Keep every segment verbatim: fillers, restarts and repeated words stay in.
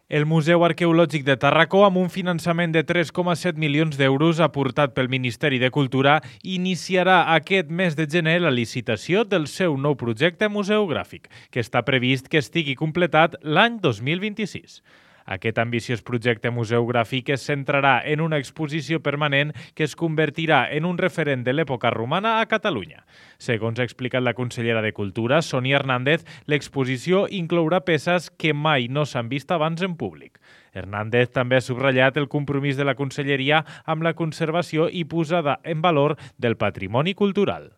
El Museu Arqueològic de Tàrraco, amb un finançament de tres coma set milions d'euros aportat pel Ministeri de Cultura, iniciarà aquest mes de gener la licitació del seu nou projecte museogràfic, que està previst que estigui completat l'any dos mil vint-i-sis. Aquest ambiciós projecte museogràfic es centrarà en una exposició permanent que es convertirà en un referent de l'època romana a Catalunya. Segons ha explicat la consellera de Cultura, Sonia Hernández, l'exposició inclourà peces que mai no s'han vist abans en públic. Hernández també ha subratllat el compromís de la conselleria amb la conservació i posada en valor del patrimoni cultural.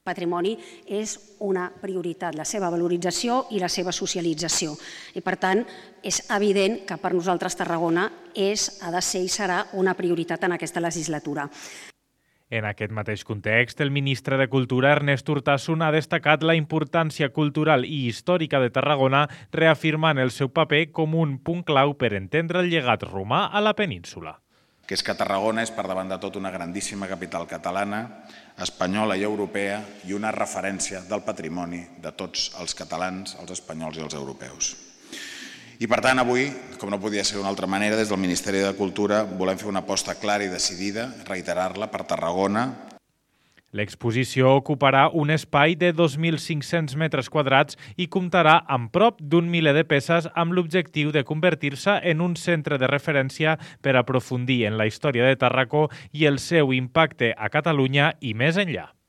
Patrimoni és una prioritat, la seva valorització i la seva socialització. I, per tant, és evident que per nosaltres Tarragona és, ha de ser i serà una prioritat en aquesta legislatura. En aquest mateix context, el ministre de Cultura, Ernest Urtasun, ha destacat la importància cultural i històrica de Tarragona, reafirmant el seu paper com un punt clau per entendre el llegat romà a la península. Que és que Tarragona és per davant de tot una grandíssima capital catalana, espanyola i europea i una referència del patrimoni de tots els catalans, els espanyols i els europeus. I per tant avui, com no podia ser d'una altra manera, des del Ministeri de Cultura volem fer una aposta clara i decidida, reiterar-la per Tarragona. L'exposició ocuparà un espai de dos mil cinc-cents metres quadrats i comptarà amb prop d'un miler de peces amb l'objectiu de convertir-se en un centre de referència per aprofundir en la història de Tàrraco i el seu impacte a Catalunya i més enllà.